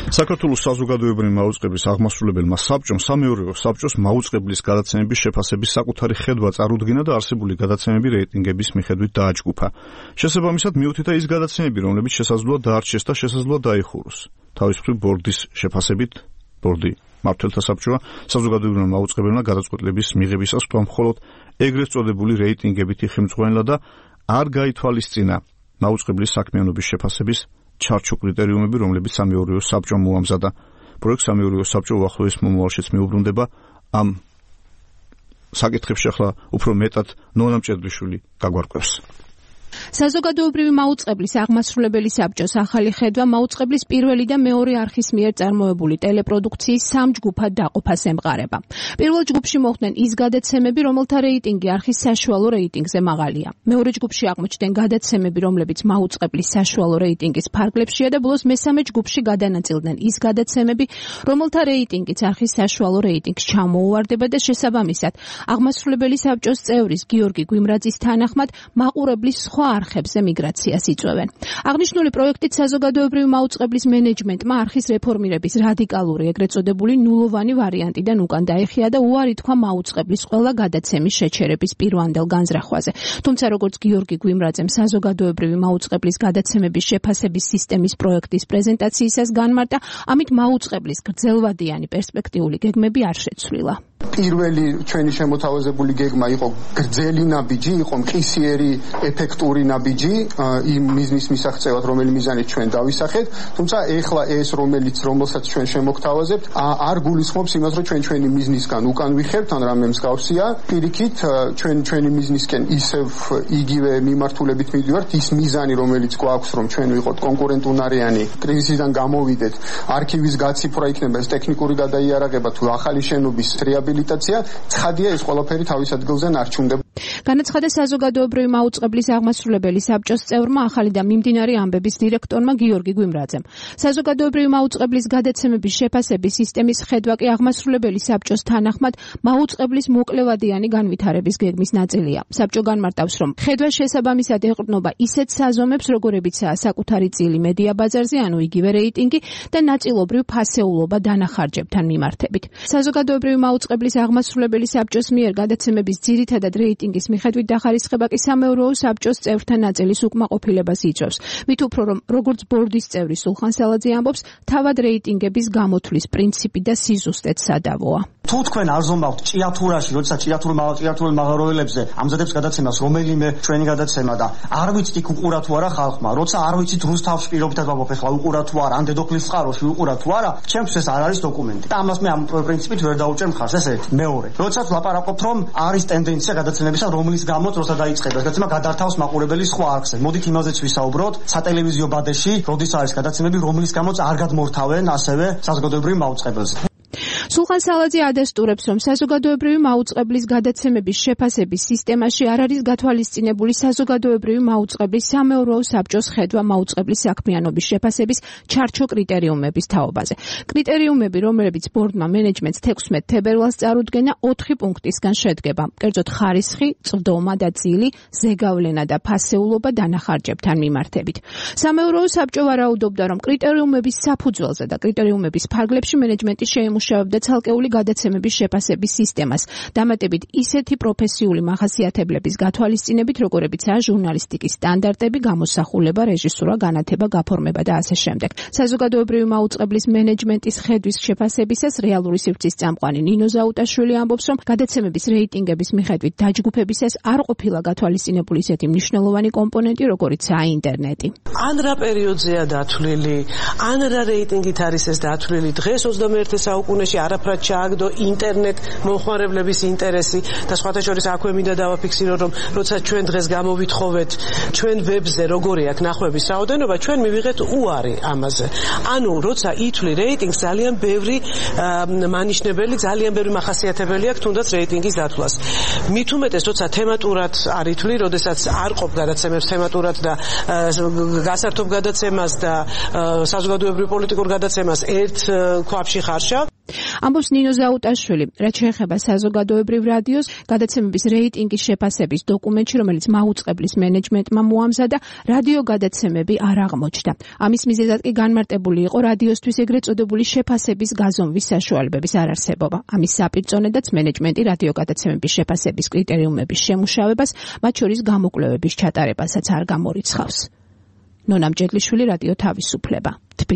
საქართველოს საზოგადოებრივი მაუწყებლის აღმასრულებელმა საბჭომ სამეურვეო საბჭოს მაუწყებლის გადაცემების შეფასების საკუთარი ხედვა წარუდგინა და არსებული გადაცემები რეიტინგების მიხედვით დააჯგუფა. შესაბამისად მიუთითა ის გადაცემები, რომლებიც შესაძლოა დაარჩეს და შესაძლოა დაიხუროს. თავისუფლი ბორდის შეფასებით ბორდი მმართველთა საბჭოა საზოგადოებრივმა მაუწყებელმა გადაწყვეტილების მიღებისას თქვა მხოლოდ ეგრეთ წოდებული რეიტინგებითი ხელმძღვანელა და არ გაითვალისწინა მაუწყებლის საქმიანობის შეფასების ჩარჩო კრიტერიუმები, რომლებიც სამეურვეო საბჭომ მოამზადა. პროექტ სამეურვეო საბჭო უახლოეს მომავალშიც მიუბრუნდება ამ საკითხებში ახლა უფრო მეტად ნონა მჭედლიშვილი გაგვარკვევს. საზოგადოებრივი მაუწყებლის აღმასრულებელი საბჭოს ახალი ხედვა მაუწყებლის პირველი და მეორე არხის მიერ წარმოებული ტელეპროდუქციის სამ ჯგუფად დაყოფას ემყარება. პირველ ჯგუფში მოხვდნენ ის გადაცემები, რომელთა რეიტინგი არხის საშუალო რეიტინგზე მაღალია. მეორე ჯგუფში აღმოჩნდნენ გადაცემები, რომლებიც მაუწყებლის საშუალო რეიტინგის ფარგლებშია და ბოლოს მესამე ჯგუფში გადანაწილდნენ ის გადაცემები, რომელთა რეიტინგიც არხის საშუალო რეიტინგს ჩამოუვარდება და შესაბამისად აღმასრულებელი საბჭოს წევრის გიორგი გვიმრაძის თანახმად მაყურებლის სხვა არხებზე მიგრაციას იწვევენ. აღნიშნული პროექტით საზოგადოებრივი მაუწყებლის მენეჯმენტმა არხის რეფორმირების რადიკალური ეგრეთ წოდებული ნულოვანი ვარიანტიდან უკან დაიხია და უარი თქვა მაუწყებლის ყველა გადაცემის შეჩერების პირვანდელ განზრახვაზე. თუმცა როგორც გიორგი გვიმრაძემ საზოგადოებრივი მაუწყებლის გადაცემების შეფასების სისტემის პროექტის პრეზენტაციისას განმარტა, ამით მაუწყებლის გრძელვადიანი პერსპექტიული გეგმები არ შეცვლილა. პირველი ჩვენი შემოთავაზებული გეგმა იყო გრძელი ნაბიჯი, იყო მყისიერი ეფექტური ნაბიჯი იმ მიზნის მისაღწევად, რომელი მიზანით ჩვენ დავისახეთ, თუმცა ეხლა ეს რომელსაც ჩვენ შემოგთავაზებთ, არ გულისხმობს იმას, რომ ჩვენი მიზნისგან უკან ვიხევთ, ან რამე მსგავსია. პირიქით, ჩვენი მიზნისკენ ისევ იგივე მიმართულებით მივდივართ, ის მიზანი, რომელიც გვაქვს, რომ ჩვენ ვიყოთ კონკურენტუნარიანი, კრიზისიდან გამოვიდეთ, არქივის გაციფრვა იქნება, ეს ტექნიკური გადაიარაღება თუ ახალი შენობის რეაბილიტაცია, ცხადია ეს ყველაფერი თავის ადგილზე ნარჩუნდება. განაცხადა საზოგადოებრივი მაუწყებლის აღმასრულებელი საბჭოს წევრმა ახალი და მიმდინარე ამბების დირექტორმა გიორგი გვიმრაძემ. საზოგადოებრივი მაუწყებლის გადაცემების შეფასების სისტემის ხედვა კი აღმასრულებელი საბჭოს თანახმად მაუწყებლის მოკლევადიანი განვითარების გეგმის ნაწილია. საბჭო განმარტავს, რომ ხედვა შესაბამისად ეყრდნობა ისეთ საზომებს, როგორებიცაა საკუთარი წილი მედია ბაზარზე, ანუ იგივე რეიტინგი და ნაწილობრივ ფასეულობა დანახარჯებთან მიმართებით. საზოგადოებრივი მაუწყებლის აღმასრულებელი საბჭოს მიერ გადაცემების ძირითადად რეიტინგის მიხედვით დახარისხება კი სამეურვეო საბჭოს წევრთა ნაწილის უკმაყოფილებას იწვევს. მით უფრო რომ როგორც ბორდის წევრი სულხან სალაძე ამბობს, თავად რეიტინგების გამოთვლის პრინციპი და სიზუსტეც სადავოა. თუ თქვენ არ ზომავთ ჭიათურაში, როდესაც ჭიათურულ მაღაროელებზე ამზადებს გადაცემას რომელიმე ჩვენი გადაცემა და არ ვიცით იქ უყურა თუ არა ხალხმა, როცა არ ვიცით რუსთავში პირობითად ვამბობ, ახლა უყურა თუ არა, ან დედოფლის წყაროში უყურა თუ არა, ჩემთვის ეს არ არის დოკუმენტი. და ამას მე ამ პრინციპით ვერ დაუჭერ მხარს, ეს ერთი. მეორე, როდესაც ვლაპარაკობთ, რომ არის ტენდენცია გადაცემებისა, რომლის გამოც როცა დაიწყება გადაცემა გადართავს მაყურებელის სხვა არხზე. მოდით იმაზეც ვისაუბროთ, სატელევიზიო ბადეში, როდის არის გადაცემები, რომლის გამოც არ გადმორთავენ ასევე საზოგადოებრივ მაუწყებელს. სულხან სალაძე ადასტურებს, რომ საზოგადოებრივი მაუწყებლის გადაცემების შეფასების სისტემაში არ არის გათვალისწინებული საზოგადოებრივი მაუწყებლის სამეურვეო საბჭოს ხედვა მაუწყებლის საქმიანობის შეფასების ჩარჩო კრიტერიუმების თაობაზე. კრიტერიუმები, რომლებიც ბორდმა მენეჯმენტს 16 თებერვალს წარუდგენა 4 პუნქტისგან შედგება. კერძოდ ხარისხი, წვდომა და წილი, ზეგავლენა და ფასეულობა დანახარჯებთან მიმართებით. სამეურვეო საბჭო ვარაუდობდა, რომ კრიტერიუმების საფუძველზე და კრიტერიუმების ფარგლებში მენეჯმენტი შეიმუშავებდა ცალკეული გადაცემების შეფასების სისტემას, დამატებით ისეთი პროფესიული მახასიათებლების გათვალისწინებით, როგორებიცაა ჟურნალისტიკის სტანდარტები, გამოსახულება, რეჟისურა, განათება, გაფორმება და ასე შემდეგ. საზოგადოებრივი მაუწყებლის მენეჯმენტის ხედვის შეფასებისას რეალური სივრცის წამყვანი ნინო ზაუტაშვილი ამბობს, რომ გადაცემების რეიტინგების მიხედვით დაჯგუფებისას არ ყოფილა გათვალისწინებული ისეთი მნიშვნელოვანი კომპონენტი, როგორიცაა ინტერნეტი. ან რა პერიოდზეა დათვლილი, ან რა რეიტინგით არის ეს დათვლილი. დღეს 21 საუკუნეში არაფრად ჩააგდო ინტერნეტ მომხმარებლების ინტერესი და სხვათა შორის აქვე მინდა დავაფიქსირო, რომ როცა ჩვენ დღეს გამოვითხოვეთ ჩვენ ვებზე როგორი აქვს ნახვების რაოდენობა, ჩვენ მივიღეთ უარი ამაზე. ანუ როცა ითვლი რეიტინგს, ძალიან ბევრი მანიშნებელი, ძალიან ბევრი მახასიათებელი აქვს თუნდაც რეიტინგის დათვლას. მით უმეტეს როცა თემატურად არ ითვლი, როდესაც არ ყოფ გადაცემებს თემატურად და გასართობ გადაცემას და საზოგადოებრივ პოლიტიკურ გადაცემას ერთ ქვაბში ხარშავ. ამბობს ნინო ზაუტაშვილი, რაც შეეხება საზოგადოებრივ რადიოს, გადაცემების რეიტინგის შეფასების დოკუმენტში, რომელიც მაუწყებლის მენეჯმენტმა მოამზადა, რადიო გადაცემები არ აღმოჩნდა. ამის მიზეზად კი განმარტებული იყო რადიოსთვის ეგრეთ წოდებული შეფასების გაზომვის საშუალებების არარსებობა. ამის საპირწონედაც მენეჯმენტი რადიო გადაცემების შეფასების კრიტერიუმების შემუშავებას, მათ შორის გამოკვლევების ჩატარებასაც არ გამორიცხავს. ნონა მჭედლიშვილი, რადიო თავისუფლება.